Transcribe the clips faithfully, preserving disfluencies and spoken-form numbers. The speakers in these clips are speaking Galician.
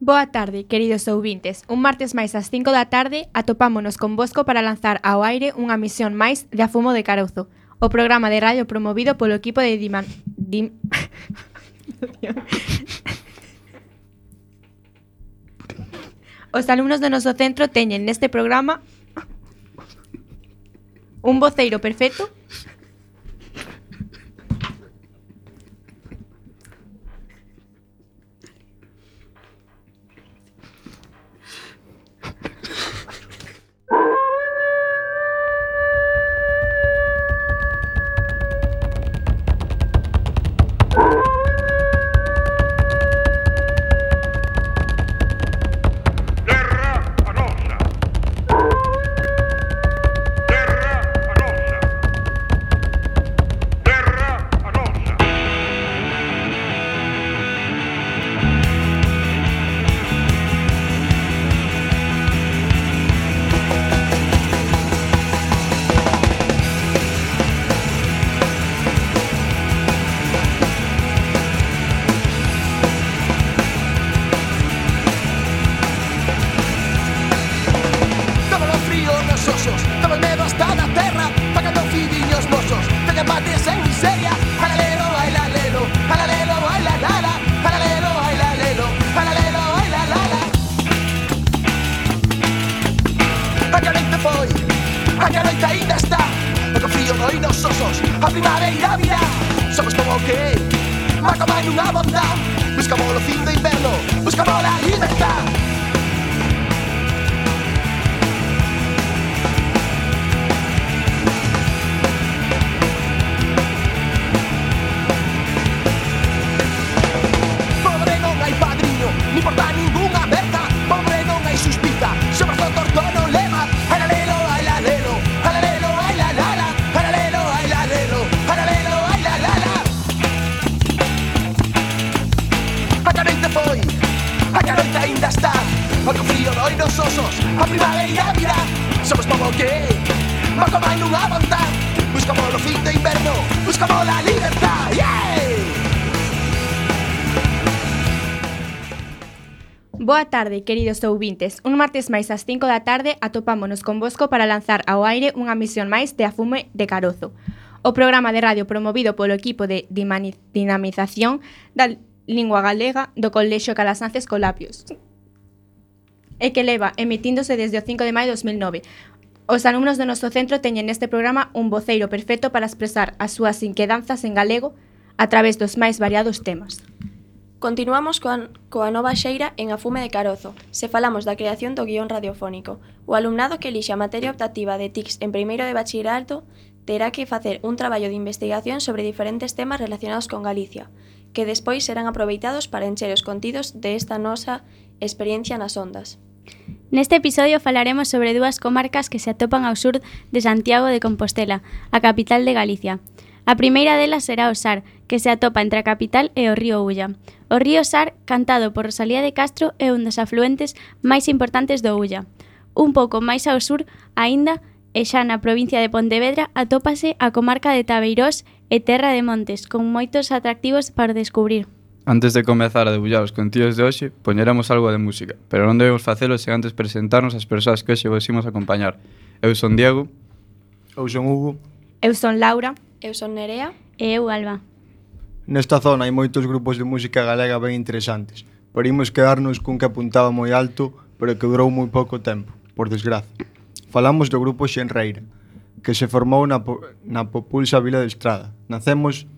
Boa tarde, queridos ouvintes. Un martes máis ás cinco da tarde atopámonos convosco para lanzar ao aire unha misión máis de A Fumo de Carozo, o programa de radio promovido polo equipo de Diman... Dim... Os alumnos do noso centro teñen neste programa un voceiro perfecto Boa tarde, queridos ouvintes. Un martes máis ás cinco da tarde atopámonos convosco para lanzar ao aire unha misión máis de A Fumo de Carozo, o programa de radio promovido polo equipo de dinamización da lingua galega do Colexio Calasances Colapios e que leva emitíndose desde o cinco de maio de dos mil nove. Os alumnos do noso centro teñen neste programa un voceiro perfecto para expresar as súas inquedanzas en galego a través dos máis variados temas. Continuamos coa, coa nova xeira en A Fume de Carozo. Se falamos da creación do guión radiofónico, o alumnado que elixe a materia optativa de T I C S en primeiro de bachillerato terá que facer un traballo de investigación sobre diferentes temas relacionados con Galicia, que despois serán aproveitados para encher os contidos desta nosa experiencia nas ondas. Neste episodio falaremos sobre dúas comarcas que se atopan ao sur de Santiago de Compostela, a capital de Galicia. A primeira delas será o Sar, que se atopa entre a capital e o río Ulla. O río Sar, cantado por Rosalía de Castro, é un dos afluentes máis importantes do Ulla. Un pouco máis ao sur, aínda, e xa na provincia de Pontevedra, atópase a comarca de Tabeirós e Terra de Montes, con moitos atractivos para descubrir. Antes de comezar a debullar os contidos de hoxe, poñeremos algo de música, pero non debemos facelo sen antes presentarnos as persoas que hoxe vos imos acompañar. Eu son Diego. Eu son Hugo. Eu son Laura. Eu son Nerea. E eu, Alba. Nesta zona hai moitos grupos de música galega ben interesantes, pero imos quedarnos cun que apuntaba moi alto, pero que durou moi pouco tempo, por desgraza. Falamos do grupo Xenreira, que se formou na, na populsa vila de Estrada. Nacemos,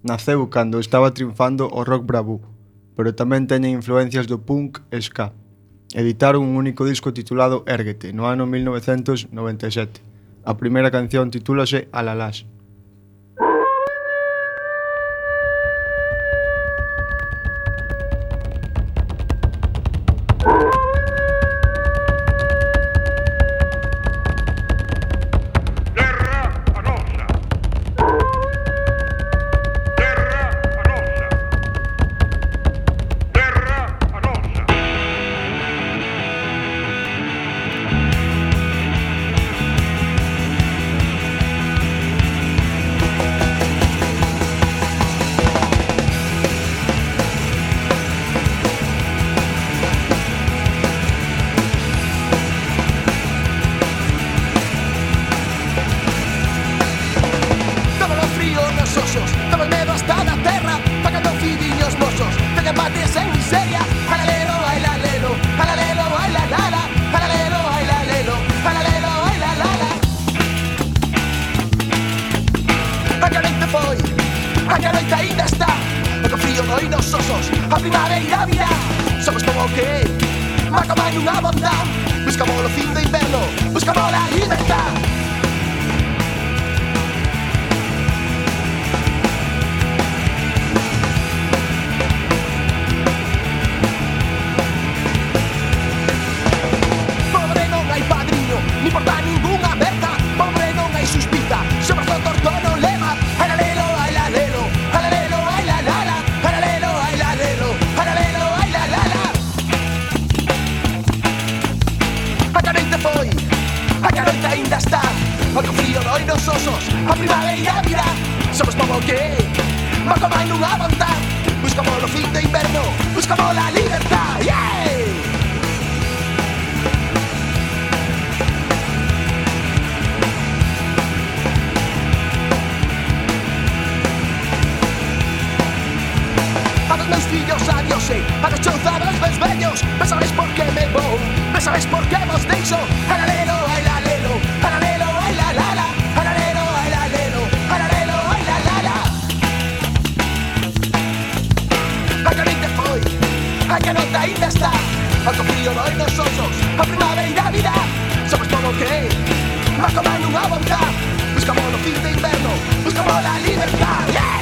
naceu cando estaba triunfando o rock bravú, pero tamén teñen influencias do punk e ska. Editaron un único disco titulado Érguete, no ano mil novecentos noventa e sete. A primeira canción titúlase Alalás. a primavera virá. Somos como que macama nunha bondad. Buscamos o fin do inverno, buscamos a libertad. Pobre non hai padriño, ni porta ningunha berta. Pobre non hai suspita, sobre o torto non leva. Alalelo, alalelo, alalelo, ailalala. Alalelo, ailalelo, alalelo, ailalala. A carente foi, a carente ainda está. Algo frío doi nos osos, a primavera virá. Somos como que macama nunha vontad. Buscamos o fin do inverno, buscamos a libertad. Yeah! A dos meus fillos adiose, a dos chouzados meus vellos. Non sabes por que me vou, non sabes por que vos deixo. Alalelo, ailalelo, alalelo, ailalala. Alalelo, ailalelo, alalelo, ailalala. A carente foi, a carota ainda está. Algo frío doi nos osos, a primavera virá. Somos como que macama nunha vontad. Buscamos o fin do inverno, buscamos a libertad. Yeah!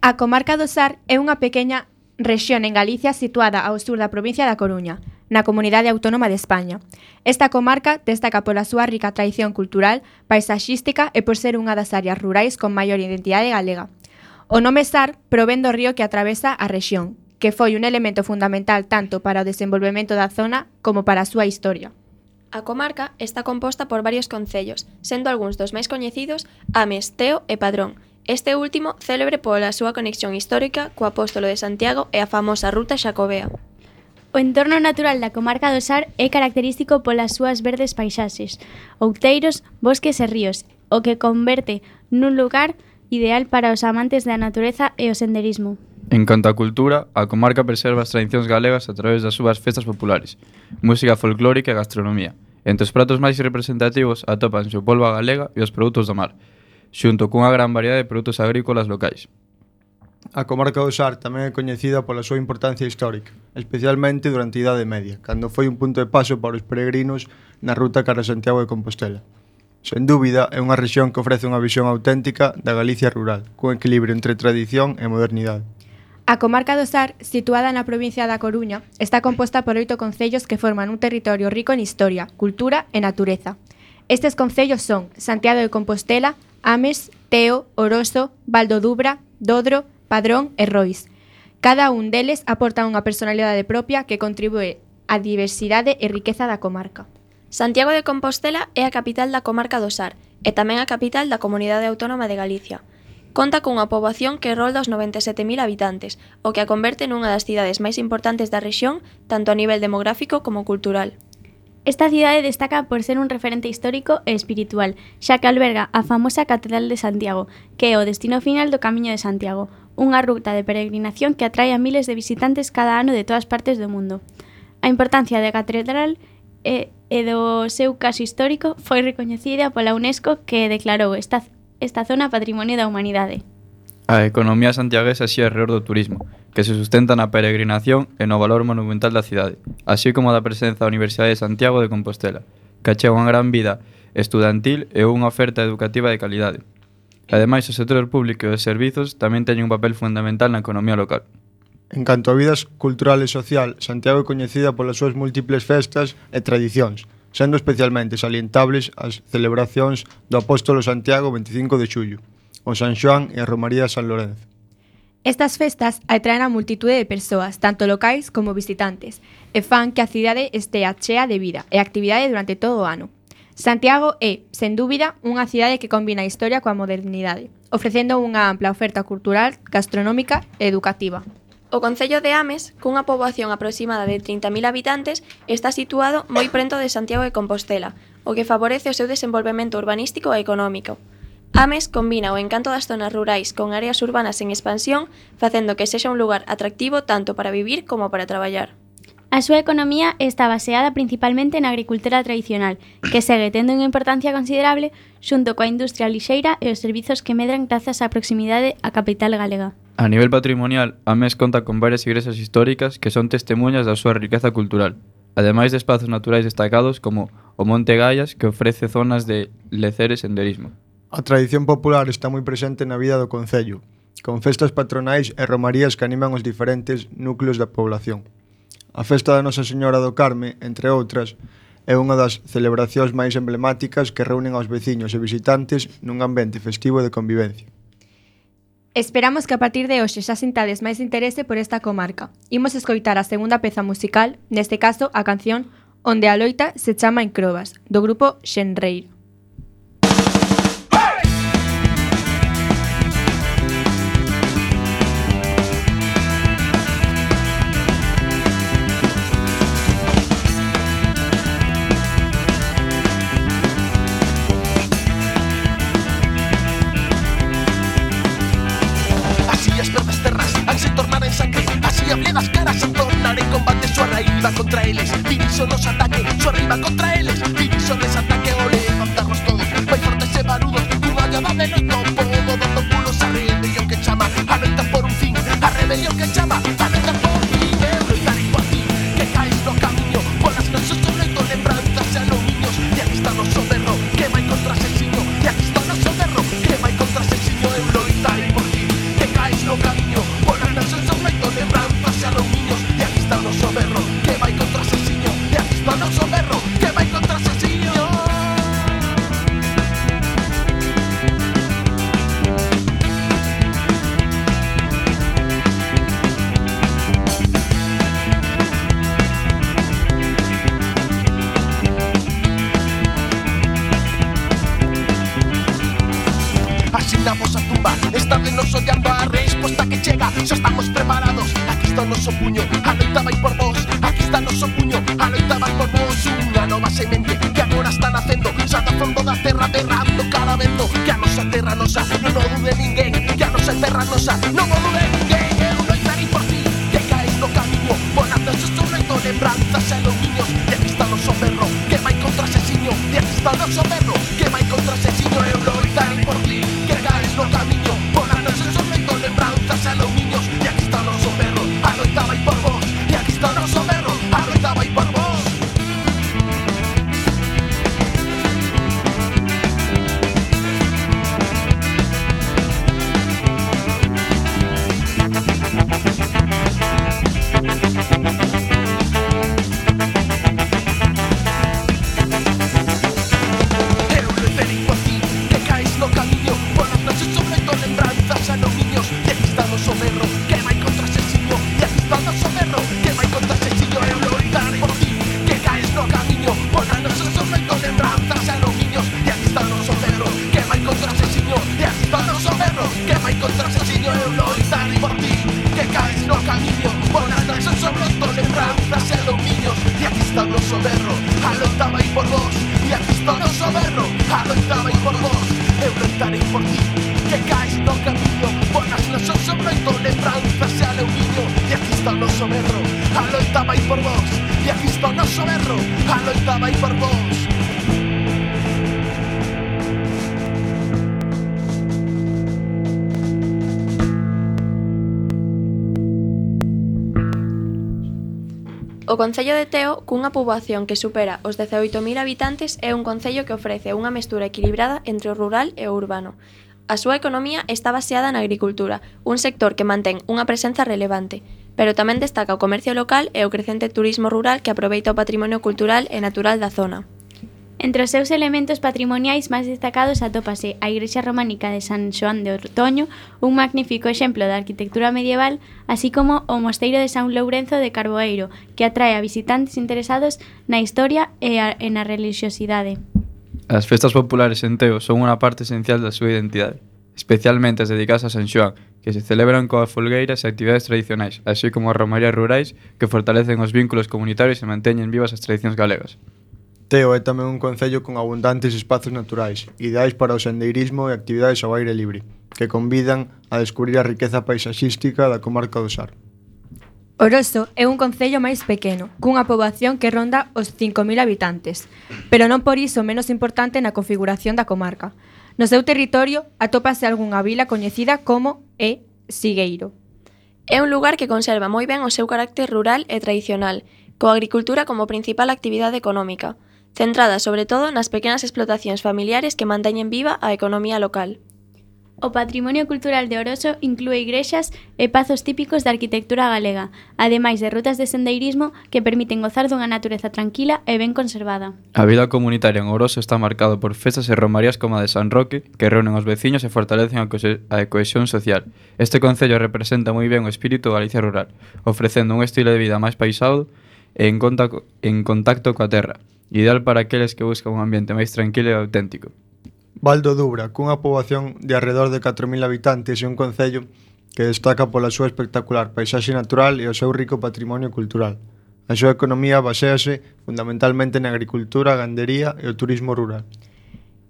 A comarca do Sar é unha pequena rexión en Galicia situada ao sur da provincia da Coruña, na Comunidade Autónoma de España. Esta comarca destaca pola súa rica tradición cultural, paisaxística e por ser unha das áreas rurais con maior identidade galega. O nome Sar provén do río que atravesa a rexión, que foi un elemento fundamental tanto para o desenvolvemento da zona como para a súa historia. A comarca está composta por varios concellos, sendo algúns dos máis coñecidos Ames, Teo e Padrón. Este último célebre pola súa conexión histórica co Apóstolo de Santiago e a famosa Ruta Xacobea. O entorno natural da comarca do Sar é característico polas súas verdes paisaxes, outeiros, bosques e ríos, o que converte nun lugar ideal para os amantes da natureza e o senderismo. En canto á cultura, a comarca preserva as tradicións galegas a través das súas festas populares, música folclórica e gastronomía. Entre os pratos máis representativos atópanse o polvo galega e os produtos do mar, xunto cunha gran variedade de produtos agrícolas locais. A comarca do Sar tamén é coñecida pola súa importancia histórica, especialmente durante a Idade Media, cando foi un punto de paso para os peregrinos na ruta cara a Santiago de Compostela. Sen dúbida, é unha rexión que ofrece unha visión auténtica da Galicia rural, cun equilibrio entre tradición e modernidade. A comarca do Sar, situada na provincia da Coruña, está composta por oito concellos que forman un territorio rico en historia, cultura e natureza. Estes concellos son Santiago de Compostela, Ames, Teo, Oroso, Valdodubra, Dodro, Padrón e Rois. Cada un deles aporta unha personalidade propia que contribúe á diversidade e riqueza da comarca. Santiago de Compostela é a capital da comarca do Sar e tamén a capital da Comunidade Autónoma de Galicia. Conta cunha poboación que rolda os noventa e sete mil habitantes, o que a converte nunha das cidades máis importantes da rexión, tanto a nivel demográfico como cultural. Esta cidade destaca por ser un referente histórico e espiritual, xa que alberga a famosa Catedral de Santiago, que é o destino final do Camiño de Santiago, unha ruta de peregrinación que atrae a miles de visitantes cada ano de todas partes do mundo. A importancia da catedral é e do seu caso histórico foi recoñecida pola UNESCO, que declarou esta, esta zona Patrimonio da Humanidade. A economía santiaguesa xira alrededor do turismo, que se sustenta na peregrinación e no valor monumental da cidade, así como da presenza da Universidade de Santiago de Compostela, que achega unha gran vida estudantil e unha oferta educativa de calidade. Ademais, o sector público e os servizos tamén teñen un papel fundamental na economía local. En canto a vidas cultural e social, Santiago é coñecida polas súas múltiples festas e tradicións, sendo especialmente salientables as celebracións do Apóstolo Santiago veinticinco de xullo, o San Xoán e a Romaría de San Lorenzo. Estas festas atraen a multitude de persoas, tanto locais como visitantes, e fan que a cidade estea chea de vida e actividade durante todo o ano. Santiago é, sen dúbida, unha cidade que combina a historia coa modernidade, ofrecendo unha ampla oferta cultural, gastronómica e educativa. O concello de Ames, cunha poboación aproximada de trinta mil habitantes, está situado moi prento de Santiago de Compostela, o que favorece o seu desenvolvemento urbanístico e económico. Ames combina o encanto das zonas rurais con áreas urbanas en expansión, facendo que sexa un lugar atractivo tanto para vivir como para traballar. A súa economía está baseada principalmente na agricultura tradicional, que segue tendo unha importancia considerable xunto coa industria lixeira e os servizos que medran grazas á proximidade á capital galega. A nivel patrimonial, Ames conta con varias igrexas históricas que son testemunhas da súa riqueza cultural, ademais de espazos naturais destacados como o Monte Gaias, que ofrece zonas de lecer e senderismo. A tradición popular está moi presente na vida do concello, con festas patronais e romarías que animan os diferentes núcleos da población. A festa da Nosa Señora do Carme, entre outras, é unha das celebracións máis emblemáticas que reúnen aos veciños e visitantes nun ambiente festivo de convivencia. Esperamos que a partir de hoxe xa sintades máis interese por esta comarca. Imos escoitar a segunda peza musical, neste caso a canción Onde a loita se chama en Crobas, do grupo Xenreiro. As caras a tornar en combate súa raída contra eles. Diviso nos ataque, súa riba contra eles. Diviso desataque o levantarnos todos. Vai fortes e barudos, cunha llada de noito. Podo dando pulos a rebelión que chama a loita por un fin. A rebelión que chama a loita por fin. Eu loitarei por ti, que caes no camiño. Polas nosos do leito lembranzas e alumiños. E aquí está noso berro, que vai contra asesiño. E aquí está noso berro, que vai contra asesiño. Eu loitarei por ti, que caes no camiño. Polas nosos do leito lembranzas e alumiños. E aquí está noso berro, que vai contra asesiño. E aquí está noso berro, que vai contra asesiño. Asinamos a tumba, esta vez nos odiando a resposta que chega. Xa estamos preparados, aquí está o noso puño. A loita vai por vos, aquí está o noso puño. A loita vai por vos, unha nova semente que agora está nacendo. Xa da fondo da terra berrando cara vento. Que a nosa terra nosa, non o dude ninguén. Que a nosa terra nosa, non o dude ninguén. Eu loitarei por ti, que caes no camiño. Polas nosos do reto, lembranzas e alumiños. E aquí está o noso berro, que vai contra asesiño. E aquí está o noso berro, que vai contra asesiño. Eu loitarei por ti, que caes no camiño. Polas nosos do reto, lembranzas e alumiños. E aquí está o noso berro, a loita vai por vos. E aquí está o noso berro, a loita vai por vos. Eu loitarei por ti, que caes no camiño. Polas nosos do reto, lembranzas e alumiños. E aquí está o noso berro, que vai contra asesiño. E aquí está o noso berro, que vai contra asesiño. Eu loitarei por ti, que caes no camiño. Polas nosos do reto, lembranzas e alumiños. E aquí está o noso berro, que vai contra asesiño. E aquí está o noso berro, que vai contra asesiño. Eu loitarei por ti, que caes no camiño. Polas nosos do reto, lembranzas e alumiños. E aquí está o noso berro, a loita vai por vos. E aquí está o noso berro, a loita vai por vos. Eu loitarei por ti, que caes no camiño. Polas nosos do reto, lembranzas e alumiños. E aquí está o noso berro, a loita estaba aí por vos. E aquí está o noso berro, a loitaba aí por vos. O Concello de Teo, cunha poboación que supera os dezaoito mil habitantes, é un concello que ofrece unha mestura equilibrada entre o rural e o urbano. A súa economía está baseada na agricultura, un sector que mantén unha presenza relevante, pero tamén destaca o comercio local e o crecente turismo rural que aproveita o patrimonio cultural e natural da zona. Entre os seus elementos patrimoniais máis destacados atópase a igrexa románica de San Xoán de Ortoño, un magnífico exemplo da arquitectura medieval, así como o mosteiro de San Lourenzo de Carboeiro, que atrae a visitantes interesados na historia e, a, e na religiosidade. As festas populares en Teo son unha parte esencial da súa identidade, especialmente as dedicadas a San Xoán, que se celebran coas folgueiras e actividades tradicionais, así como as romarías rurais que fortalecen os vínculos comunitarios e manteñen vivas as tradicións galegas. Teo é tamén un concello con abundantes espazos naturais, ideais para o sendeirismo e actividades ao aire libre, que convidan a descubrir a riqueza paisaxística da comarca do Sar. Oroso é un concello máis pequeno, cunha poboación que ronda os cinco mil habitantes, pero non por iso menos importante na configuración da comarca. No seu territorio atópase algunha vila coñecida como é Sigueiro. É un lugar que conserva moi ben o seu carácter rural e tradicional, coa agricultura como principal actividade económica, centrada sobre todo nas pequenas explotacións familiares que manteñen viva a economía local. O patrimonio cultural de Oroso inclúe igrexas e pazos típicos da arquitectura galega, ademais de rutas de sendeirismo que permiten gozar dunha natureza tranquila e ben conservada. A vida comunitaria en Oroso está marcado por festas e romarías como a de San Roque, que reúnen os veciños e fortalecen a, cohe- a cohesión social. Este concello representa moi ben o espírito da Galicia rural, ofrecendo un estilo de vida máis paisado e en, conta- en contacto coa terra, ideal para aqueles que buscan un ambiente máis tranquilo e auténtico. Val do Dubra, cunha poboación de arredor de catro mil habitantes e un concello que destaca pola súa espectacular paisaxe natural e o seu rico patrimonio cultural. A súa economía baséase fundamentalmente na agricultura, a gandería e o turismo rural.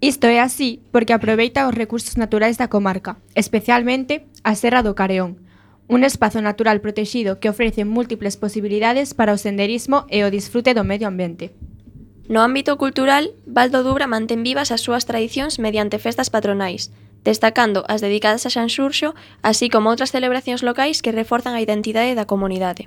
Isto é así porque aproveita os recursos naturais da comarca, especialmente a Serra do Careón, un espazo natural protexido que ofrece múltiples posibilidades para o senderismo e o disfrute do medio ambiente. No ámbito cultural, Val do Dubra mantén vivas as súas tradicións mediante festas patronais, destacando as dedicadas a San Xurxo, así como outras celebracións locais que reforzan a identidade da comunidade.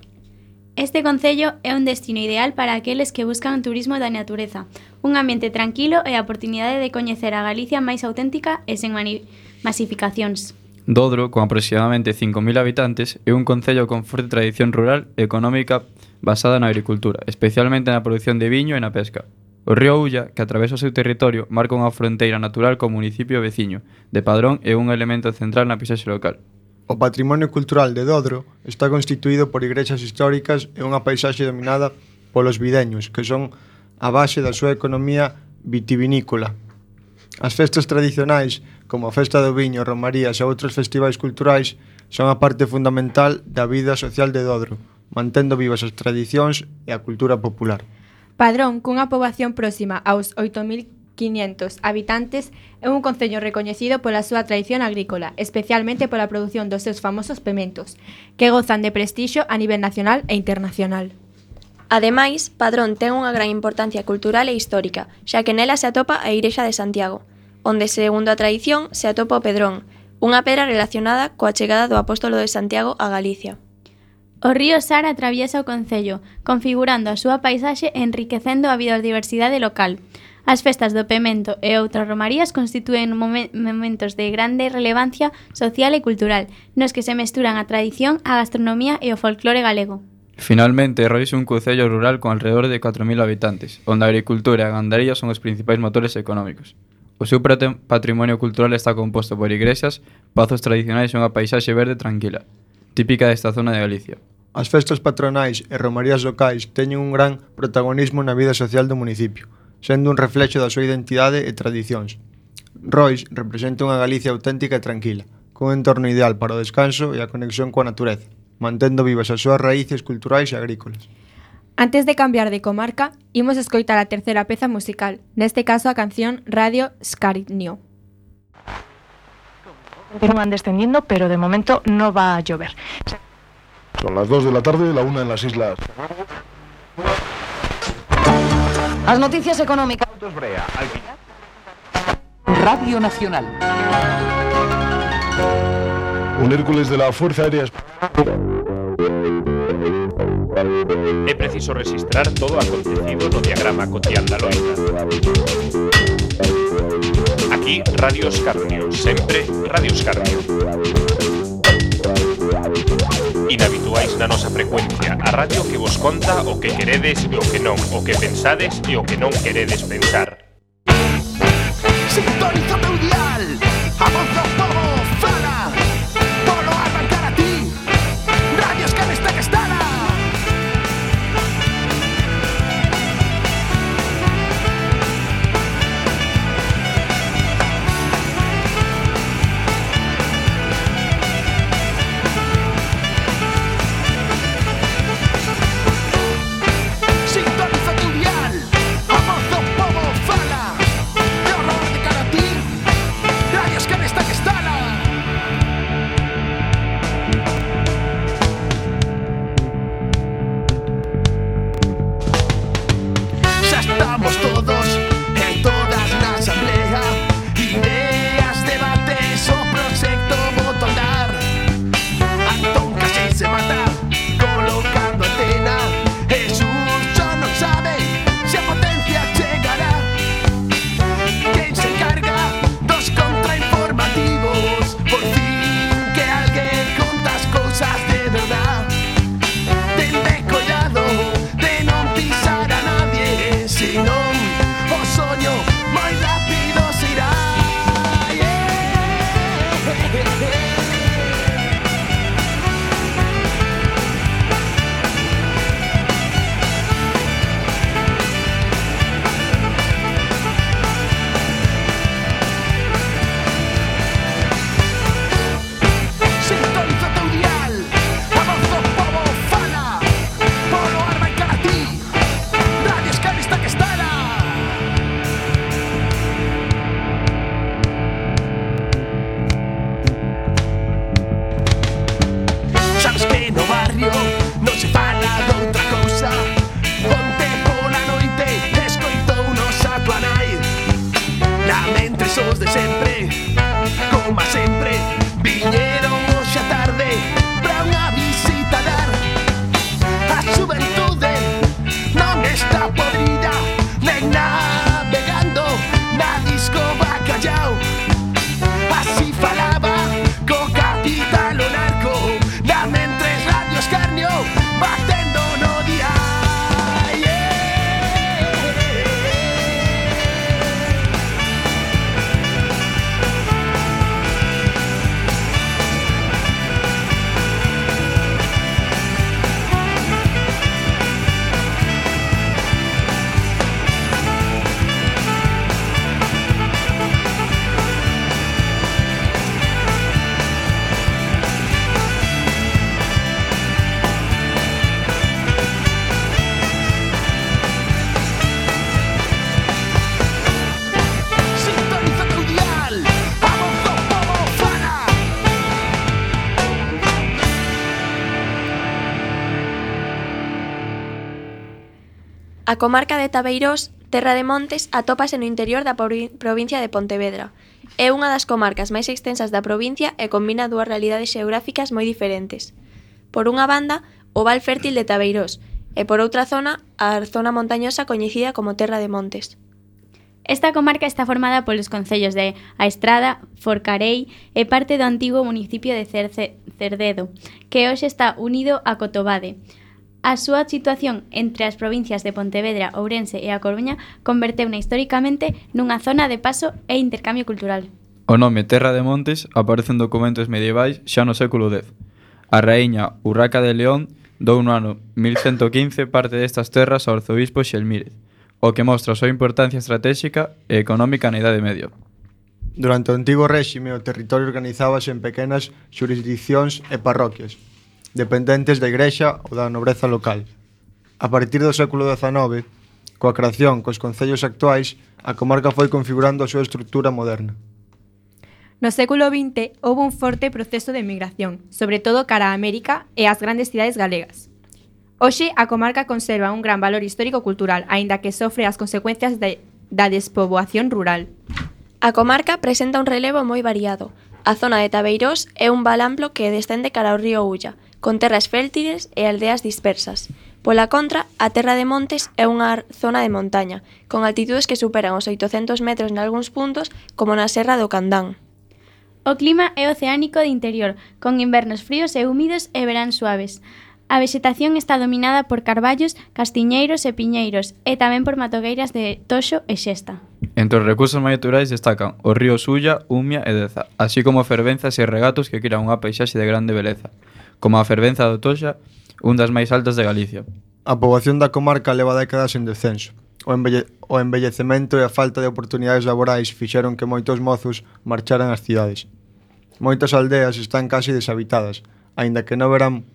Este concello é un destino ideal para aqueles que buscan turismo da natureza, un ambiente tranquilo e a oportunidade de coñecer a Galicia máis auténtica e sen mani- masificacións. Dodro, con aproximadamente cinco mil habitantes, é un concello con forte tradición rural e económica basada na agricultura, especialmente na produción de viño e na pesca. O río Ulla, que atravesa o seu territorio, marca unha fronteira natural co municipio veciño de Padrón e un elemento central na paisaxe local. O patrimonio cultural de Dodro está constituído por igrexas históricas e unha paisaxe dominada polos videños, que son a base da súa economía vitivinícola. As festas tradicionais, como a Festa do Viño, romarías e outros festivais culturais, son a parte fundamental da vida social de Dodro, mantendo vivas as tradicións e a cultura popular. Padrón, cunha poboación próxima aos oito mil quinhentos habitantes, é un concello recoñecido pola súa tradición agrícola, especialmente pola produción dos seus famosos pementos, que gozan de prestixio a nivel nacional e internacional. Ademais, Padrón ten unha gran importancia cultural e histórica, xa que nela se atopa a Igrexa de Santiago, onde, segundo a tradición, se atopa o Pedrón, unha pedra relacionada coa chegada do apóstolo de Santiago a Galicia. O río Sar atraviesa o concello, configurando a súa paisaxe e enriquecendo a biodiversidade local. As festas do Pemento e outras romarías constitúen momen- momentos de grande relevancia social e cultural, nos que se mesturan a tradición, a gastronomía e o folclore galego. Finalmente, Rois é un concello rural con alrededor de catro mil habitantes, onde a agricultura e a gandaría son os principais motores económicos. O seu prate- patrimonio cultural está composto por igrexas, pazos tradicionais e unha paisaxe verde tranquila, típica desta zona de Galicia. As festas patronais e romarías locais teñen un gran protagonismo na vida social do municipio, sendo un reflexo da súa identidade e tradicións. Rois representa unha Galicia auténtica e tranquila, cun entorno ideal para o descanso e a conexión coa natureza, mantendo vivas as súas raíces culturais e agrícolas. Antes de cambiar de comarca, imos escoitar a terceira peza musical, neste caso a canción Radio Scarinio. Continúan descendiendo, pero de momento no va a llover. Son las dos de la tarde, la una en las islas. As noticias económicas. Radio Nacional. Un Hércules de la Fuerza Aérea É preciso registrar todo o acontecido no diagrama cotián da loita. Aquí, Radio Escarnio, sempre Radio Escarnio. Inhabituais na nosa frecuencia, a radio que vos conta o que queredes e o que non, o que pensades e o que non queredes pensar. Sintoniza teu dial, a voz do povo fala, polo arrancar a ti, Radio Escarnio está que estala. Sintoniza teu dial, a voz do povo fala, de horror de cara a ti, Radio Escarnio está que estala. Xa estamos todos e todas na asamblea, ideas, debates, o proxecto boto andar. Antón casi se mata colocando antena, Jesús xa non sabe se a potencia chegará. Quen se encarga dos contrainformativos, por fin que alguén conta as cousas de verdad. Tende cuidado de non pisar a nadie, senón o soño moi rápido se irá. Sintoniza teu dial, a voz do povo fala, polo arrancar a ti, Radio Escarnio está que estala. Sabes que no barrio non se fala doutra cousa, onte pola noite escoitounos a tua nai. Lamentres os de sempre, como a sempre, viñeron hoxe a tarde pra unha visita dar. A xuventude non está podrida, nen navegando na disco Bacallao. Así falaba co capitán o narco, lamentres Radio Escarnio batendo no día. Sintoniza teu dial, a voz do povo fala. A comarca de Tabeirós, Terra de Montes, atópase no interior da provi- provincia de Pontevedra. É unha das comarcas máis extensas da provincia e combina dúas realidades xeográficas moi diferentes. Por unha banda, o val fértil de Tabeirós, e por outra zona, a zona montañosa coñecida como Terra de Montes. Esta comarca está formada polos concellos de A Estrada, Forcarei e parte do antigo municipio de Cerce, Cerdedo, que hoxe está unido a Cotobade. A súa situación entre as provincias de Pontevedra, Ourense e A Coruña converteuna históricamente nunha zona de paso e intercambio cultural. O nome Terra de Montes aparece en documentos medievais xa no século dez. A raíña Urraca de León dou no ano mil ciento quince parte destas terras ao arzobispo Xelmírez, o que mostra a súa importancia estratégica e económica na Idade Media. Durante o antigo réxime, o territorio organizábase en pequenas xurisdiccións e parroquias, dependentes da igrexa ou da nobreza local. A partir do século dezanove, coa creación cos concellos actuais, a comarca foi configurando a súa estrutura moderna. No século vinte houve un forte proceso de migración, sobre todo cara a América e ás grandes cidades galegas. Hoxe, a comarca conserva un gran valor histórico-cultural, aínda que sofre as consecuencias de, da despoboación rural. A comarca presenta un relevo moi variado. A zona de Tabeirós é un val amplo que descende cara ao río Ulla, con terras fértiles e aldeas dispersas. Pola contra, a Terra de Montes é unha zona de montaña, con altitudes que superan os oitocentos metros nalgúns puntos, como na Serra do Candán. O clima é oceánico de interior, con invernos fríos e húmidos e verán suaves. A vexetación está dominada por carballos, castiñeiros e piñeiros, e tamén por matogueiras de toxo e xesta. Entre os recursos máis naturais destacan os ríos Ulla, Umia e Deza, así como fervenzas e regatos que crean unha paisaxe de grande beleza, como a fervenza do Toxa, un das máis altas de Galicia. A poboación da comarca leva décadas en descenso. O, embelle o embellecemento e a falta de oportunidades laborais fixeron que moitos mozos marcharan ás cidades. Moitas aldeas están casi deshabitadas, aínda que no verán,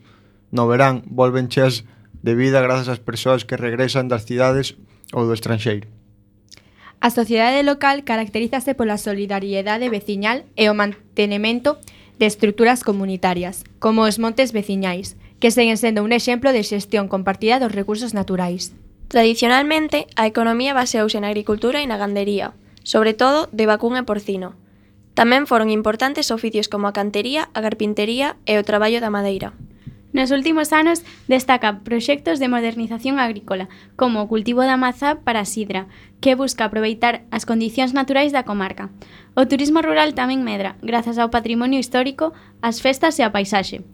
no verán volven cheas de vida grazas ás persoas que regresan das cidades ou do estranxeiro. A sociedade local caracterízase pola solidariedade veciñal e o mantenemento de estruturas comunitarias, como os montes veciñais, que seguen sendo un exemplo de xestión compartida dos recursos naturais. Tradicionalmente, a economía baseouse na agricultura e na gandería, sobre todo de vacún e porcino. Tamén foron importantes oficios como a cantería, a carpintería e o traballo da madeira. Nos últimos anos destacan proxectos de modernización agrícola, como o cultivo da mazá para a sidra, que busca aproveitar as condicións naturais da comarca. O turismo rural tamén medra, grazas ao patrimonio histórico, as festas e a paisaxe.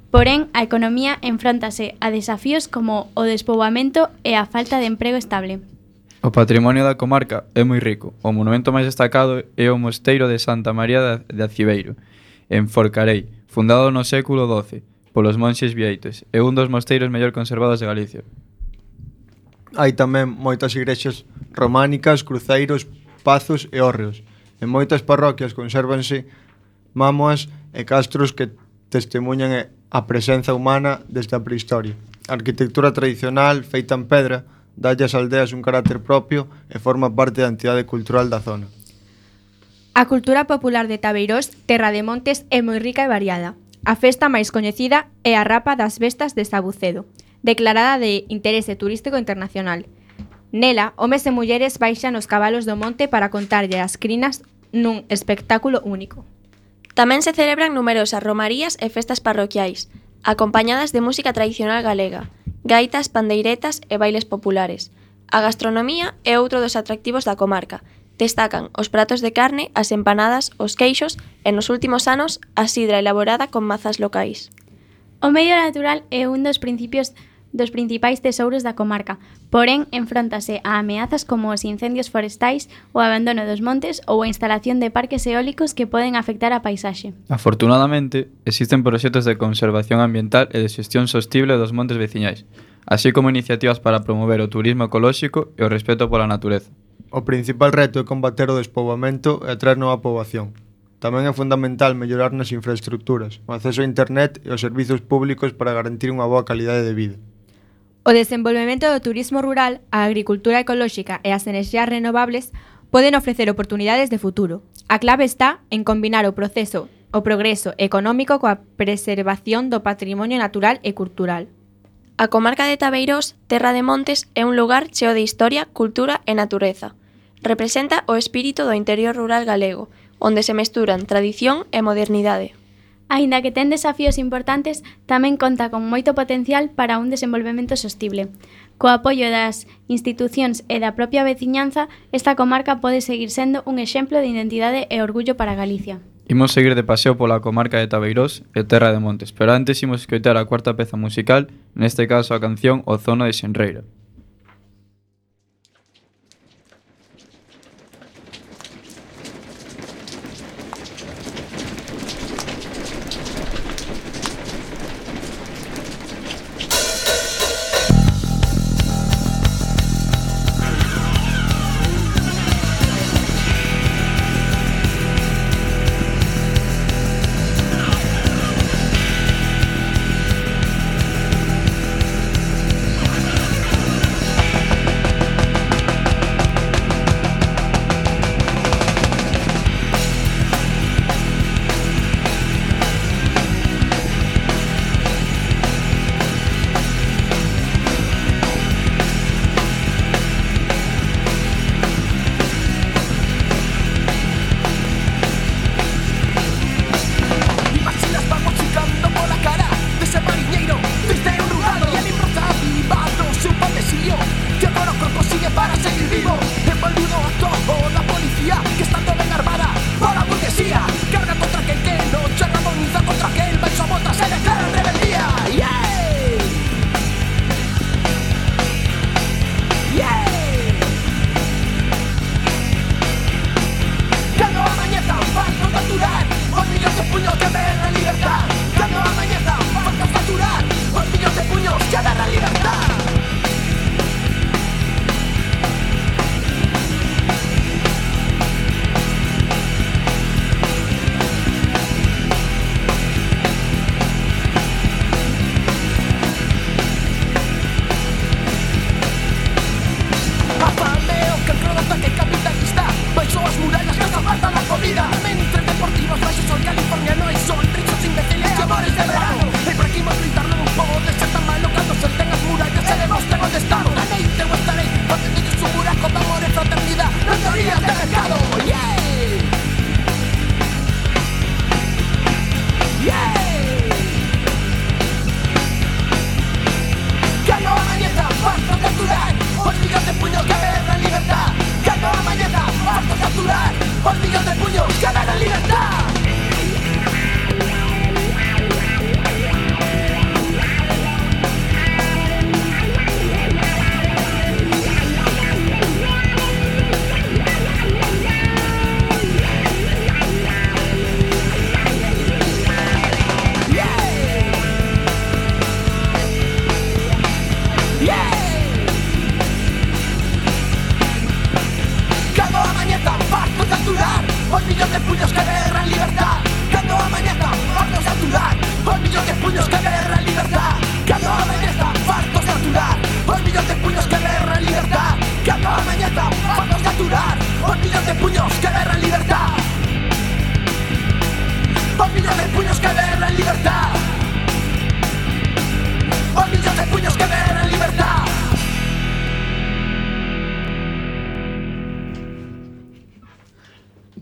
Porén, a economía enfróntase a desafíos como o despoboamento e a falta de emprego estable. O patrimonio da comarca é moi rico. O monumento máis destacado é o Mosteiro de Santa María de Aciveiro, en Forcarei, fundado no século doce, polos monxes vieites, é un dos mosteiros mellor conservados de Galicia. Hai tamén moitas igrexas románicas, cruceiros, pazos e hórreos. En moitas parroquias consérvanse mámoas e castros que testemunhan a presenza humana desde a prehistoria. A arquitectura tradicional, feita en pedra, dalle ás aldeas un carácter propio e forma parte da entidade cultural da zona. A cultura popular de Tabeirós, Terra de Montes, é moi rica e variada. A festa máis coñecida é a Rapa das Bestas de Sabucedo, declarada de interese turístico internacional. Nela, homes e mulleres baixan os cabalos do monte para contarlle as crinas nun espectáculo único. Tamén se celebran numerosas romarías e festas parroquiais, acompañadas de música tradicional galega, gaitas, pandeiretas e bailes populares. A gastronomía é outro dos atractivos da comarca. Destacan os pratos de carne, as empanadas, os queixos e nos últimos anos a sidra elaborada con mazas locais. O medio natural é un dos principios dos principais tesouros da comarca, porén enfróntase a ameazas como os incendios forestais, o abandono dos montes ou a instalación de parques eólicos que poden afectar a paisaxe. Afortunadamente, existen proxectos de conservación ambiental e de xestión sostible dos montes veciñais, así como iniciativas para promover o turismo ecolóxico e o respeto pola natureza. O principal reto é combater o despoboamento e atraer nova poboación. Tamén é fundamental mellorar nas infraestructuras, o acceso a internet e os servizos públicos para garantir unha boa calidade de vida. O desenvolvemento do turismo rural, a agricultura ecolóxica e as enerxías renovables poden ofrecer oportunidades de futuro. A clave está en combinar o proceso, o progreso económico coa preservación do patrimonio natural e cultural. A comarca de Tabeirós, Terra de Montes, é un lugar cheo de historia, cultura e natureza. Representa o espírito do interior rural galego, onde se mesturan tradición e modernidade. Aínda que ten desafíos importantes, tamén conta con moito potencial para un desenvolvemento sostible. Co apoio das institucións e da propia veciñanza, esta comarca pode seguir sendo un exemplo de identidade e orgullo para Galicia. Imos seguir de paseo pola comarca de Tabeirós e Terra de Montes, pero antes imos escoitar a cuarta peza musical, neste caso a canción O Zono de Xenreira.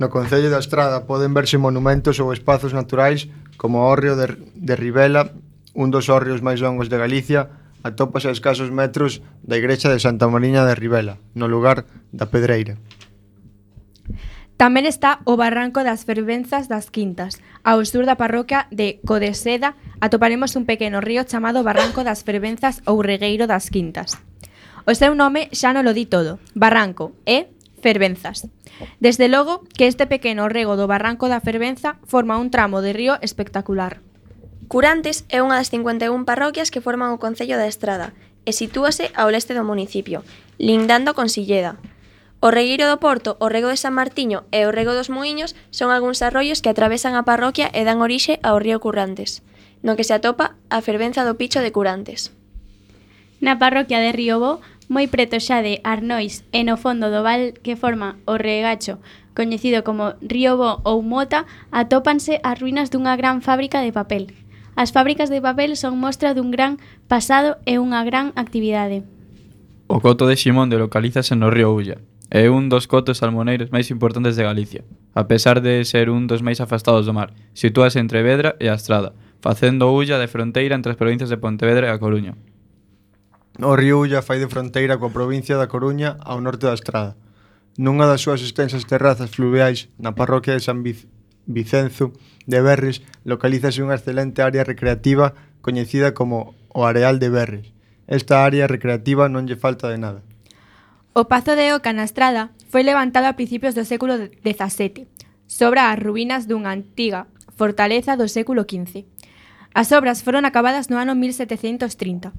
No Concello da Estrada poden verse monumentos ou espazos naturais como o hórreo de, de Ribela, un dos hórreos máis longos de Galicia, atópase a escasos metros da igrexa de Santa Mariña de Ribela, no lugar da Pedreira. Tamén está o Barranco das Fervenzas das Quintas. Ao sur da parroquia de Codeseda atoparemos un pequeno río chamado Barranco das Fervenzas ou Regueiro das Quintas. O seu nome xa non lo di todo. Barranco e Fervenzas. Desde logo que este pequeno rego do Barranco da Fervenza forma un tramo de río espectacular. Curantes é unha das cincuenta e un parroquias que forman o Concello da Estrada e sitúase ao leste do municipio, lindando con Silleda. O Regueiro do Porto, o Rego de San Martiño e o Rego dos Muiños son algúns arroios que atravesan a parroquia e dan orixe ao río Currantes, no que se atopa a fervenza do Picho de Curantes. Na parroquia de Riobó, moi preto xa de Arnois e no fondo do val que forma o regacho, coñecido como Riobó ou Mota, atópanse as ruínas dunha gran fábrica de papel. As fábricas de papel son mostra dun gran pasado e unha gran actividade. O coto de Ximón localízase no río Ulla. É un dos cotos salmoneiros máis importantes de Galicia. A pesar de ser un dos máis afastados do mar, sitúase entre Vedra e a Estrada, facendo Ulla de fronteira entre as provincias de Pontevedra e A Coruña. O río Ulla fai de fronteira coa provincia da Coruña ao norte da Estrada. Nunha das súas extensas terrazas fluviais, na parroquia de San Vic- Vicenzo de Berres, localízase unha excelente área recreativa coñecida como o Areal de Berres. Esta área recreativa non lle falta de nada. O Pazo de Oca na Estrada foi levantado a principios do século dezasete, sobre as ruínas dunha antiga fortaleza do século quince. As obras foron acabadas no ano mil setecentos trinta.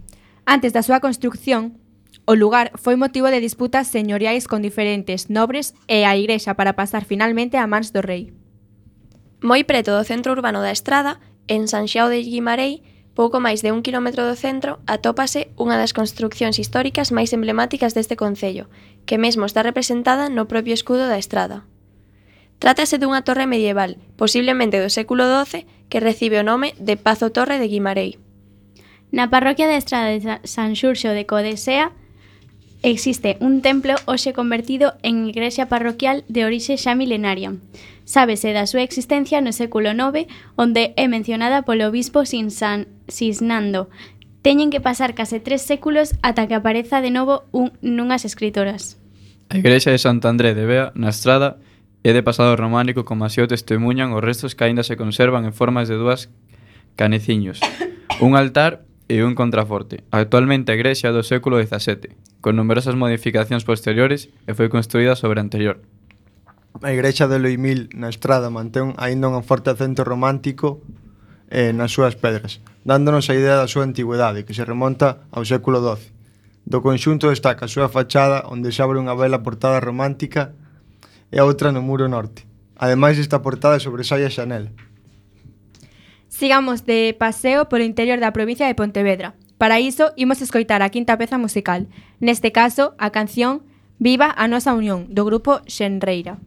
Antes da súa construcción, o lugar foi motivo de disputas señoriais con diferentes nobres e a igrexa para pasar finalmente a mans do rei. Moi preto do centro urbano da Estrada, en San Xiao de Guimarei, pouco máis de un quilómetro do centro, atópase unha das construccións históricas máis emblemáticas deste concello, que mesmo está representada no propio escudo da Estrada. Trátase dunha torre medieval, posiblemente do século doce, que recibe o nome de Pazo Torre de Guimarei. Na parroquia da Estrada de San Xurxo de Codesea existe un templo hoxe convertido en igrexa parroquial de orixe xa milenaria. Sábese da súa existencia no século nove, onde é mencionada polo obispo Sinsan, Sisnando. Teñen que pasar case tres séculos ata que apareza de novo un, nunhas escritoras. A igrexa de Sant André de Bea, na Estrada, é de pasado románico como así o testemunhan os restos que aínda se conservan en formas de dúas caneciños, un altar e un contraforte. Actualmente a igrexa é do século dezasete, con numerosas modificacións posteriores e foi construída sobre a anterior. A igrexa de Loimil na Estrada mantén aínda un forte acento romántico eh, nas súas pedras, dándonos a idea da súa antigüedade, que se remonta ao século doce. Do conxunto destaca a súa fachada, onde se abre unha bela portada romántica e a outra no muro norte. Ademais, esta portada sobresai a xanela. Sigamos de paseo polo interior da provincia de Pontevedra. Para iso, imos escoitar a quinta peza musical. Neste caso, a canción Viva a nosa unión, do grupo Xenreira.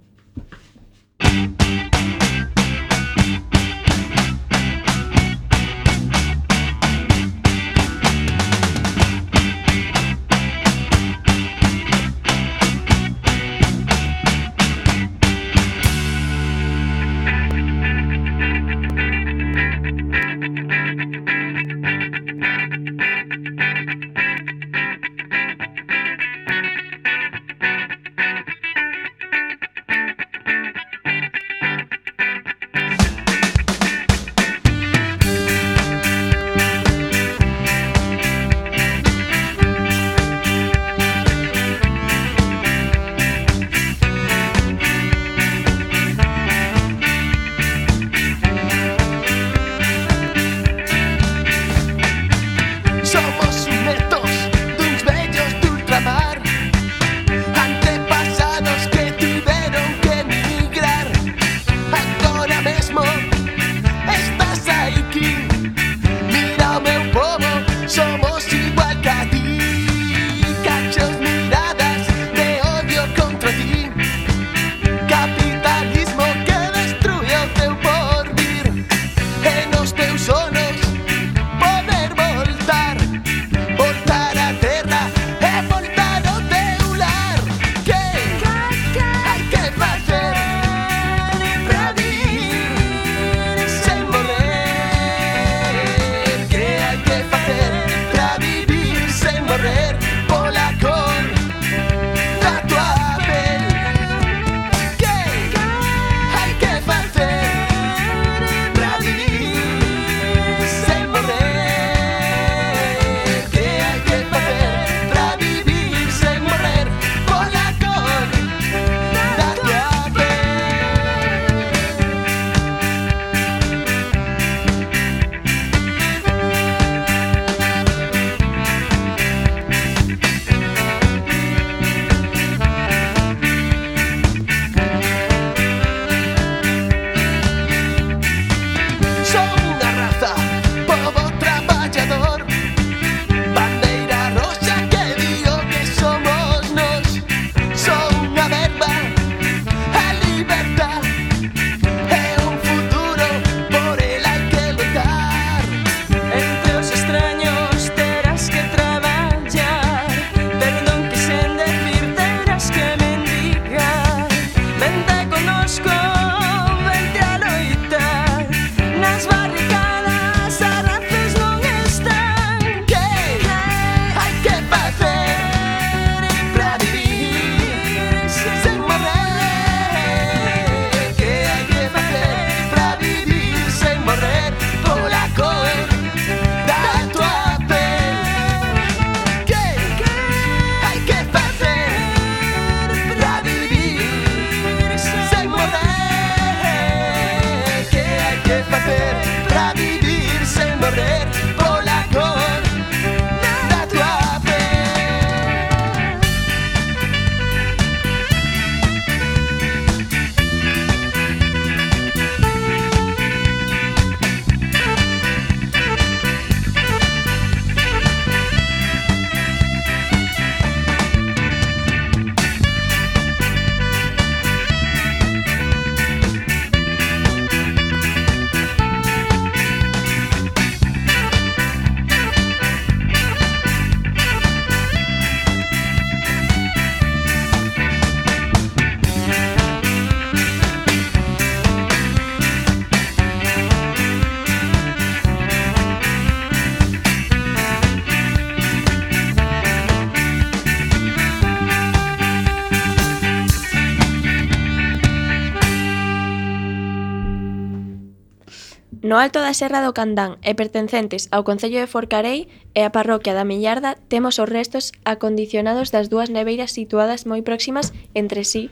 No alto da Serra do Candán e pertencentes ao concello de Forcarei e a parroquia da Millarda temos os restos acondicionados das dúas neveiras situadas moi próximas entre sí.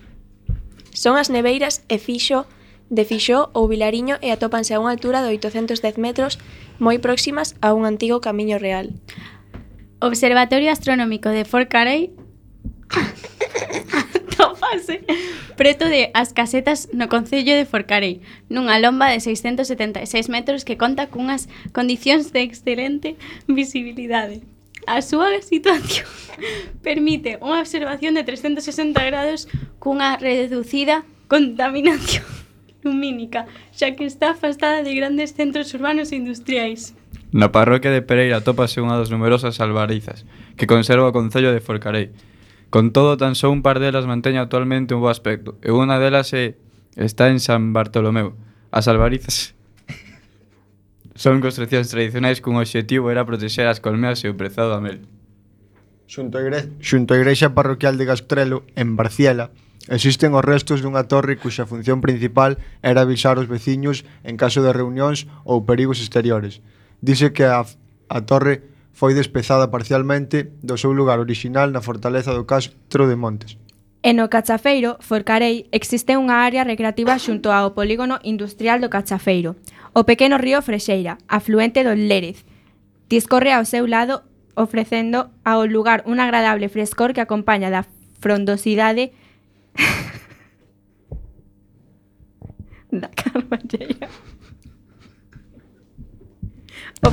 Son as neveiras e Fixo, de Fixó ou Vilariño e atópanse a unha altura de oitocentos dez metros moi próximas a un antigo camiño real. Observatorio Astronómico de Forcarei atópase preto de As Casetas no concello de Forcarei, nunha lomba de seiscentos setenta e seis metros que conta cunhas condicións de excelente visibilidade. A súa situación permite unha observación de trescentos sesenta grados cunha reducida contaminación lumínica, xa que está afastada de grandes centros urbanos e industriais. Na parroquia de Pereira atópase unha das numerosas albarizas que conserva o concello de Forcarei. Con todo, tan só un par delas mantén actualmente un bo aspecto, e unha delas é, está en San Bartolomeu. As albarizas son construccións tradicionais cun obxectivo era protexer as colmeas e o prezado a mel. Xunto a, igre... Xunto a igrexa parroquial de Gastrelo, en Barciela, existen os restos dunha torre cuxa función principal era avisar os veciños en caso de reunións ou perigos exteriores. Dice que a, a torre foi despezada parcialmente do seu lugar orixinal na fortaleza do Castro de Montes. E no Cachafeiro, Forcarei, existe unha área recreativa xunto ao polígono industrial do Cachafeiro. O pequeno río Frexeira, afluente do Lérez, discorre ao seu lado ofrecendo ao lugar un agradable frescor que acompaña da frondosidade da Carballeira. O...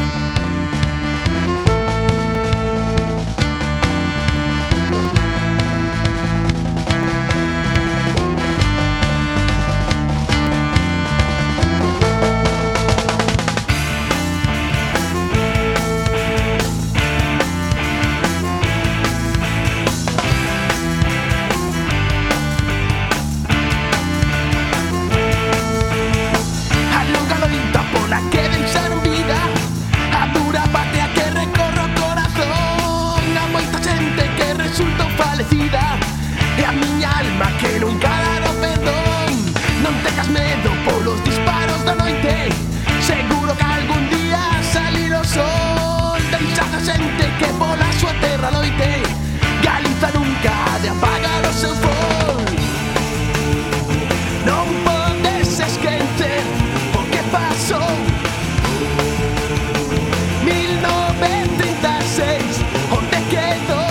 E a miña alma que nunca dará perdón. Non tengas medo polos disparos da noite, seguro que algún día salir o sol. Deixa a xente que pola súa terra loite, Galiza nunca ha de apagar o seu fol. Non podes esquecer o que pasou mil novecentos e trinta e seis, onde quedou.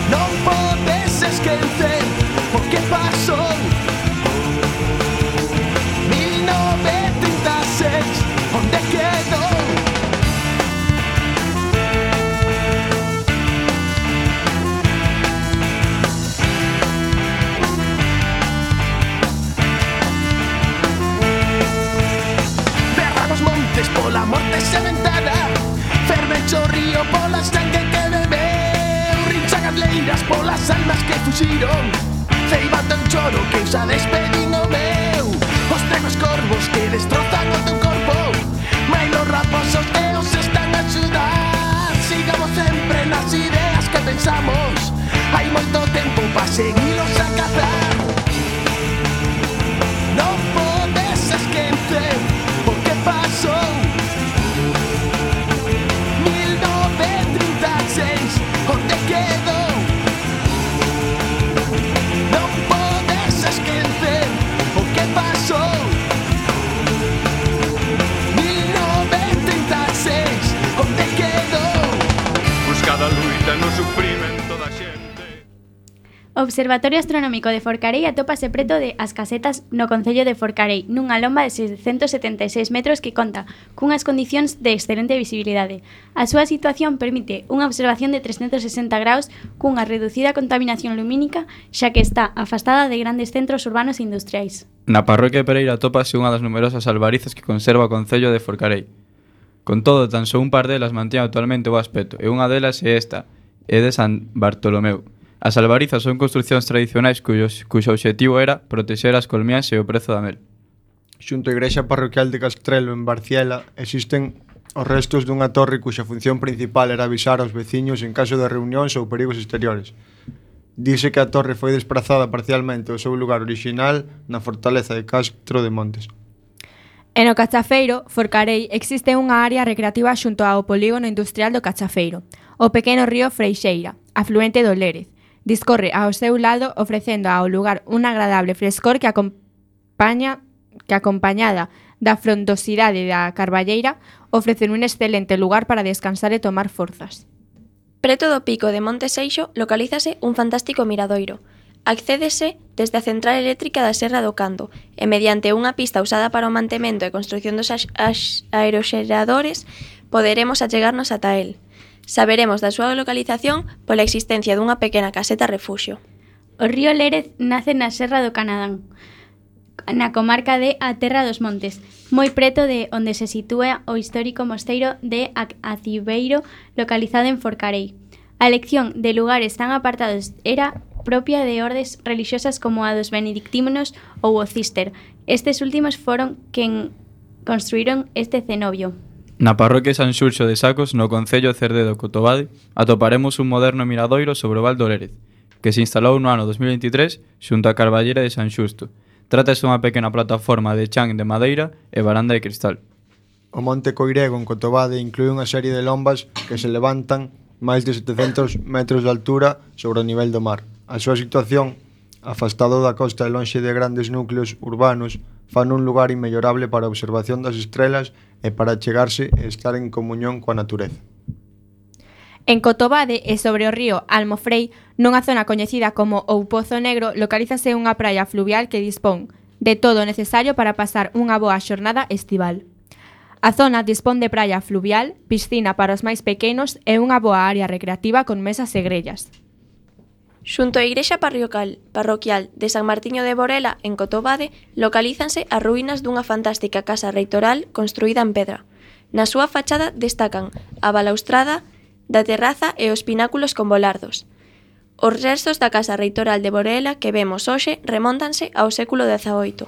Non podes esquecer o que pasou mil novecentos e trinta e seis, onde quedou. Berra nos montes pola morte sementada, fervecho o río pola sangue que bebeu, rinchan as leiras polas almas que fuxiron, ceibando un choro que xa despedín o meu. Os tregos corvos que destrozan o teu corpo, mais los raposos que os están a axudar. Sigamos sempre nas ideas que pensamos, hai moito tempo pa seguilos a cazar. Non podes esquecer o que pasou mil novecentos e trinta e seis, onde quedou. Non podes esquecer o que pasou mil novecentos e trinta e seis, onde quedou. Buscada a luita no sufrimento da xente. O Observatorio Astronómico de Forcarei atópase preto de As Casetas no concello de Forcarei, nunha lomba de seiscentos setenta e seis metros que conta cunhas condicións de excelente visibilidade. A súa situación permite unha observación de trescentos sesenta graus cunha reducida contaminación lumínica, xa que está afastada de grandes centros urbanos e industriais. Na parroquia de Pereira atópase unha das numerosas albarizas que conserva o concello de Forcarei. Con todo, tan só un par delas mantén actualmente o aspecto, e unha delas é esta, é de San Bartolomeu. As albarizas son construcións tradicionais cuyos, cuxo obxectivo era protexer as colmeas e o prezo da mel. Xunto a igrexa parroquial de Castrelo, en Barciela, existen os restos dunha torre cuxa función principal era avisar aos veciños en caso de reunións ou perigos exteriores. Dice que a torre foi desprazada parcialmente ao seu lugar orixinal na fortaleza de Castro de Montes. E no Cachafeiro, Forcarei, existe unha área recreativa xunto ao polígono industrial do Cachafeiro, o pequeno río Freixeira, afluente do Lérez. Discorre ao seu lado ofrecendo ao lugar un agradable frescor que acompaña que acompañada da frondosidade da Carballeira ofrecen un excelente lugar para descansar e tomar forzas. Preto do pico de Monte Seixo localízase un fantástico miradoiro. Accédese desde a central eléctrica da Serra do Cando e mediante unha pista usada para o mantemento e construción dos aeroxeradores poderemos achegarnos ata el. Saberemos da súa localización pola existencia dunha pequena caseta refuxio. O río Lérez nace na Serra do Canadán, na comarca de A Terra dos Montes, moi preto de onde se sitúa o histórico mosteiro de Acibeiro, localizado en Forcarei. A elección de lugares tan apartados era propia de ordes religiosas como a dos benedictinos ou o Cister. Estes últimos foron quen construíron este cenobio. Na parroquia San Xurxo de Sacos, no concello de Cerdedo, Cotobade, atoparemos un moderno miradoiro sobre o Val do Lérez, que se instalou no ano dos mil veintitrés xunto á Carballera de San Xusto. Trátase dunha pequena plataforma de chan de madeira e varanda de cristal. O Monte Coirego en Cotobade inclúe unha serie de lombas que se levantan máis de setecentos metros de altura sobre o nivel do mar. A súa situación, afastado da costa e lonxe de grandes núcleos urbanos, fan un lugar inmellorable para a observación das estrelas e para chegarse e estar en comunión coa natureza. En Cotobade e sobre o río Almofrei, nunha zona coñecida como o Pozo Negro, localízase unha praia fluvial que dispón de todo o necesario para pasar unha boa xornada estival. A zona dispón de praia fluvial, piscina para os máis pequenos e unha boa área recreativa con mesas e grellas. Xunto á igrexa parroquial, parroquial de San Martiño de Borela, en Cotobade, localízanse as ruínas dunha fantástica casa reitoral construída en pedra. Na súa fachada destacan a balaustrada da terraza e os pináculos con volardos. Os restos da casa reitoral de Borela que vemos hoxe remóntanse ao século dezaoito.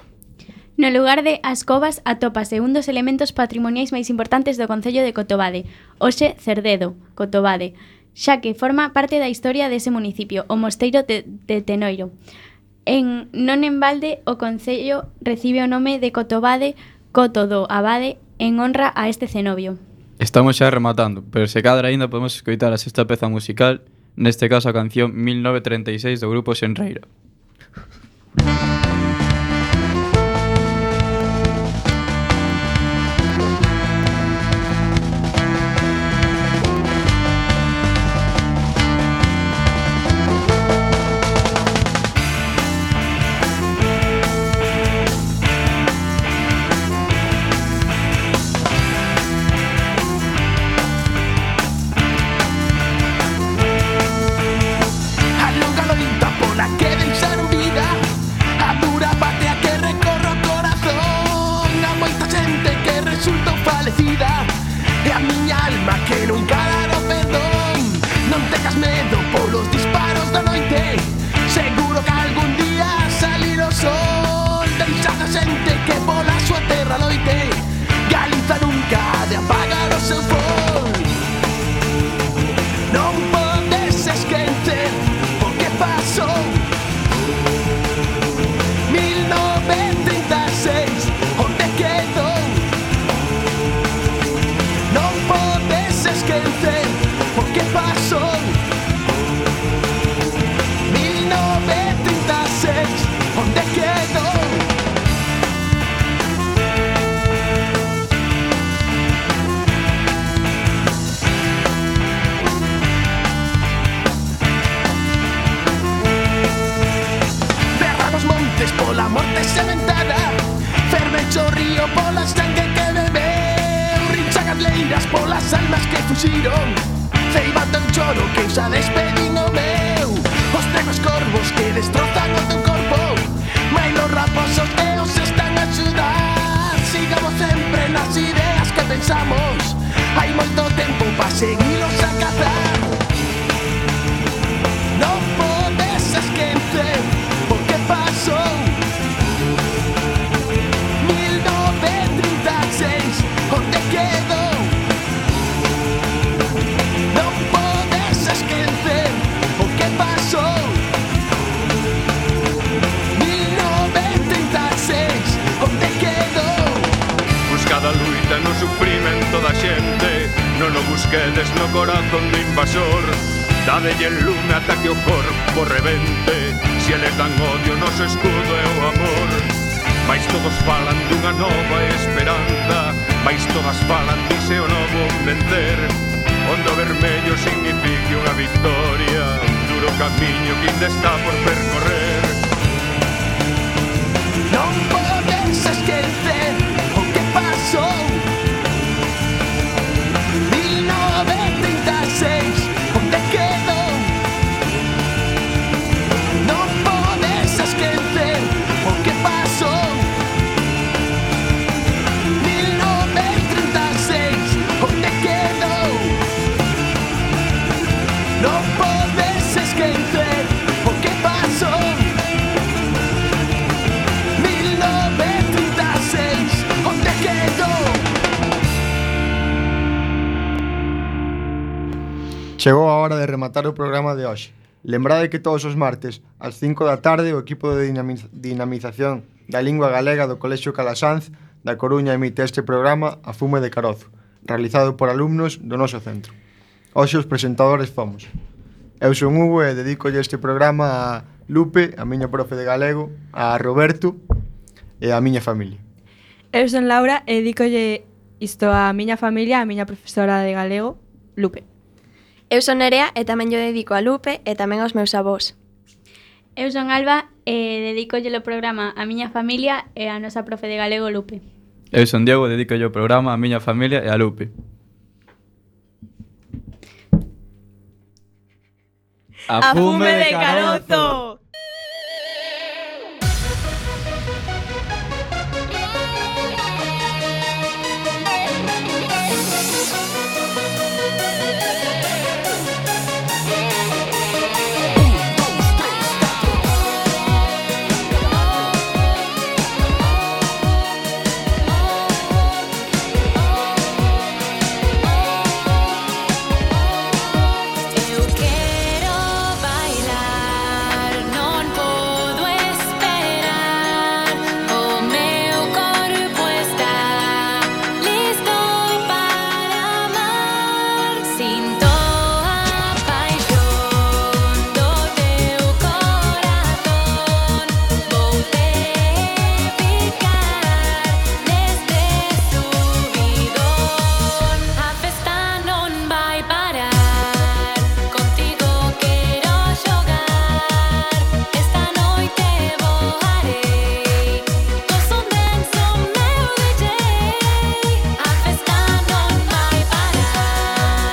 No lugar de As Covas atópase un dos elementos patrimoniais máis importantes do concello de Cotobade, hoxe Cerdedo, Cotobade, xa que forma parte da historia dese municipio, o mosteiro de, de Tenoiro. En non en balde, o concello recibe o nome de Cotobade, Coto do Abade, en honra a este cenobio. Estamos xa rematando, pero se cadra aínda podemos escoitar a sexta peza musical, neste caso a canción mil novecentos treinta e seis do grupo Xenreira. Polas almas que fuxiron, ceibando un choro que xa despedín o meu. Os negros corvos que destrozan o teu corpo, mais los raposos teos están a axudar. Sigamos sempre nas ideas que pensamos, hai moito tempo pa seguilos a cazar. Non podes esquecer o que pasou mil novecentos trinta e seis, onde quedou. Non podes esquecer o que pasou mil novecentos trinta e seis, onde quedou. busquedes no corazón do invasor. Dadelle el lume ata que o corpo rebente. Se eles dan odio, noso escudo é o amor. Mais todos falan dunha nova esperanza, mais todas falan dice o novo vencer. Ondo vermello signifique unha victoria, duro camiño que ainda está por percorrer. Non podes esquecer o que pasou. mil novecentos trinta e seis, onde quedou? Non podes esquecer o que pasou. mil novecentos trinta e seis, onde quedou? Non podes esquecer o que pasou. mil novecentos trinta e seis, onde quedou? Chegou a hora de rematar o programa de hoxe. Lembrade que todos os martes, ás cinco da tarde, o equipo de dinamiz dinamización da lingua galega do Colexio Calasanz da Coruña emite este programa A Fume de Carozo, realizado por alumnos do noso centro. Hoxe os presentadores fomos. Eu son Hugo e dedicolle este programa a Lupe, a miña profe de galego, a Roberto e a miña familia. Eu son Laura e dedicolle isto a miña familia, a miña profesora de galego, Lupe. Eu son Nerea e tamén yo dedico a Lupe e tamén aos meus avós. Eu son Alba e dedicolle o programa a miña familia e a nosa profe de galego Lupe. Eu son Diego e dedicolle o programa a miña familia e a Lupe. A fume de carozo!